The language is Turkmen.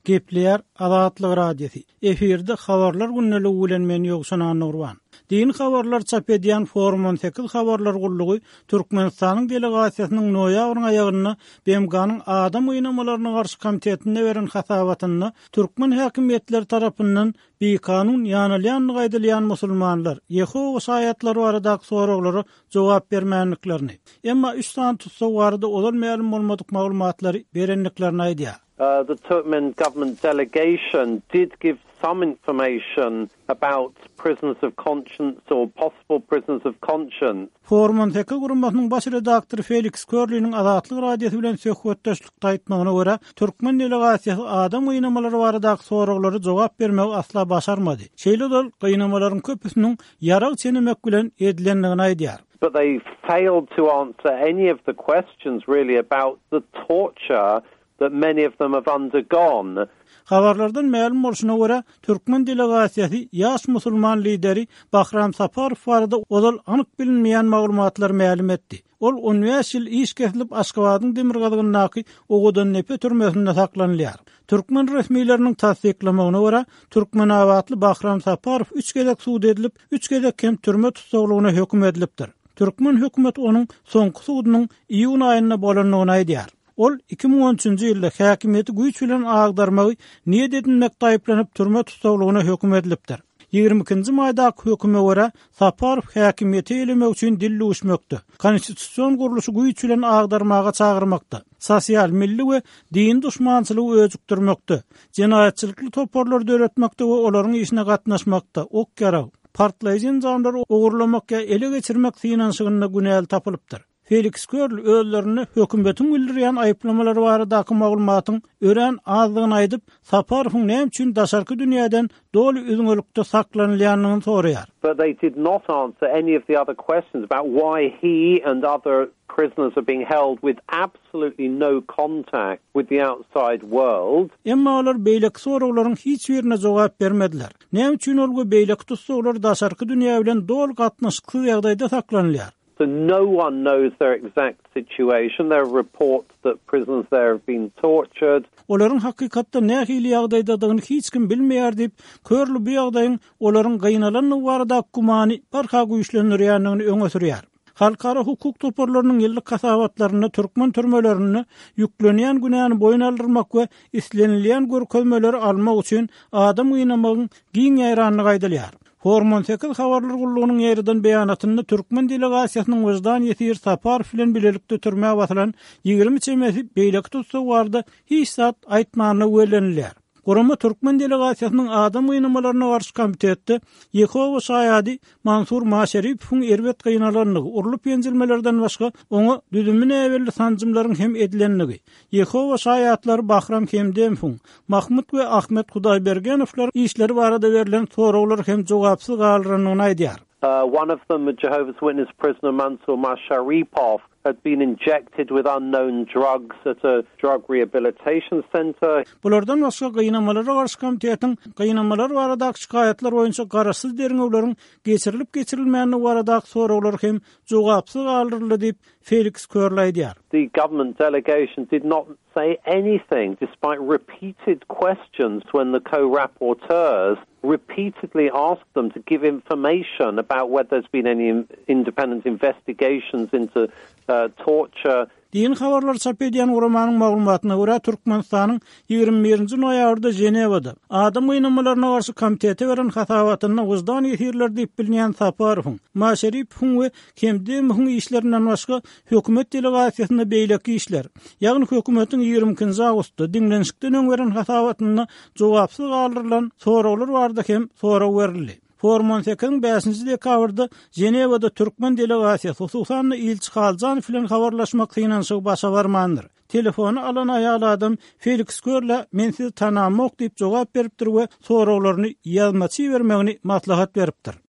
Gepleýär Azatlyk Radiosy. Efirde Habarlar gündeligi bilen men Ýowşan Annagurban. Dini habarlar çap edýän Forum 18 habarlar gullugy Türkmenistanyň delegasiýasynyň noýabryň aýagynda BMG-niň Adam gynamalaryna garşy komitetinde beren hasabatynda türkmen häkimiýetleri tarapyndan bikanun ýanalýandygy aýdylýan musulmanlar, Ýehowa şaýatlary baradaky soraglara jogap bermändiklerini, emma üç sany tussag barada ozal mälim bolmadyk maglumatlary berendiklerini aýdýar. The Turkmen government delegation did give some information about prisoners of conscience or possible prisoners of conscience. Forum 18 guramasynyň baş redaktory Feliks Körliniň Azatlyk Radiosy bilen söhbetdeşlikde aýtmagyna görä, türkmen delegasiýasy adam gynamalary baradaky soraglara jogap bermegi asla başarmady. Şeýle-de ol gynamalaryň köpüsiniň ýarag çenemek bilen edilendigini aýdýar. But they failed to answer any of the questions really about the torture that many of them have undergone. Habarlardan mälim bolşuna görä, türkmen delegasiýasy ýaş musulman lideri Bahram Saparow barada ozal anyk bilinmeýän maglumatlary mälim etdi. Ol on bäş ýyl iş kesilip Aşgabadyň demirgazygyndaky Owadandepe türmesinde saklanylýar. Türkmen resmileriniň tassyklamagyna görä, türkmenabatly Bahram Saparow üç gezek sud edilip, üç gezek hem türme tussaglygyna höküm edilipdir. Türkmen hökümeti onuň soňky sudunyň iýun aýynda bolandygyny aýdýar. Ol 2013-nji ýylda häkimiýeti güýç bilen agdarmagy niýet edinmekde aýyplanyp türme tussaglygyna höküm edilipdir. 22-nji maýdaky höküme görä, Saparow häkimiýeti eýelemek üçin dil düwüşmekde, konstitusion gurluşy güýç bilen agdarmaga çagyrmakda, sosial, milli we dini duşmançylygy öjükdirmekde, jenaýatçylykly toparlary döretmekde we olaryň işine gatnaşmakda, ok-ýarag, partlaýjy enjamlary ogurlamak ýa ele geçirmek synanyşygynda günäli tapylypdyr. Feliks Körl özlerine hökümetiň bildirýän aýyplamalary baradaky maglumatyň örän azdygyny aýdyp, Saparowyň näme üçin daşarky dünýäden doly üzňelikde saklanylýandygyny soraýar. But they did not answer any of the other questions about why he and other prisoners are being held with absolutely no contact with the outside world. Emma olar beýleki soraglaryň hiç birine jogap bermediler. Näme üçin ol we beýleki tussaglar daşarky dünýä bilen doly gatnaşyksyz ýagdaýda saklanylýar? So no one knows their exact situation. There are reports that prisoners there have been tortured. Olaryň hakykatda nähili ýagdaýdadygyny hiç kim bilmeýär diýip, Körli bu ýagdaýyň olaryň gynalandygy baradaky gümany barha güýçlendirýändigini öňe sürýär. Halkara hukuk toparlarynyň ýyllyk hasabatlarynda türkmen türmelerinde ýüklenýän günäni boýun aldyrmak we islenilýän görkezmeleri almak üçin adam gynamagyň giň ýaýrandygy aýdylýar. Forum 18 habarlar gullugynyň ýaýradan beýanatynda türkmen delegasiýasynyň wyždan ýesiri Saparow bilen bilelikde türmä basylan 20 çemesi beýleki tussag barada hiç zat aýtmandygy bellenilýär. Gurama türkmen delegasiýasynyň adam gynamalaryna garşy komitetde Ýehowa şaýady Mansur Maşeripowyň erbet gynalandygy, urlup-ýenjilmelerden başga oňa düzümi näbelli sanjymlaryň hem edilendigi, Ýehowa şaýatlary Bahram Hemdemowyň, Mahmut we Ahmet Hudaýbergenowlaryň işleri barada berlen soraglar hem jogapsyz galdyrandygyny aýdýar. One of them, a Jehovah's Witness prisoner Mansur Masharipov, had been injected with unknown drugs at a drug rehabilitation center. Bulardan başga Gynamalara garşy komitetiň gynamalar baradaky şikaýatlar boýunça garaşsyz derňewleriň geçirilip-geçirilmändigi baradaky soraglar hem jogapsyz galdyryldy diýip, Feliks Körl aýdýar. The government delegation did not say anything despite repeated questions when the co-rapporteurs repeatedly asked them to give information about whether there's been any independent investigations into torture. Dini habarlary çap edýän guramanyň maglumatyna görä, Türkmenistanyň 21-nji noýabrda Ženewada Adam gynamalaryna garşy komitete beren hasabatynda wyždan ýesirleri diýip bilinýän Saparowyň, Maşeripowyň we Hemdemowyň işlerinden başga hökümet delegasiýasynda beýleki işler, ýagny hökümetiň 22-nji awgustda diňlenişikden öň beren hasabatynda jogapsyz galdyrylan soraglar barada hem sorag berildi. Forum on sekiziň bäşinji dekabrda Ženewada türkmen delegasiýasy, hususan-da ilçi Haljanow bilen habarlaşmak synanyşygy başa barmandyr. Telefony alan aýal adam Feliks Körlä men sizi tanamok diýip jogap beripdir we soraglaryny ýazmaça ibermegini maslahat beripdir.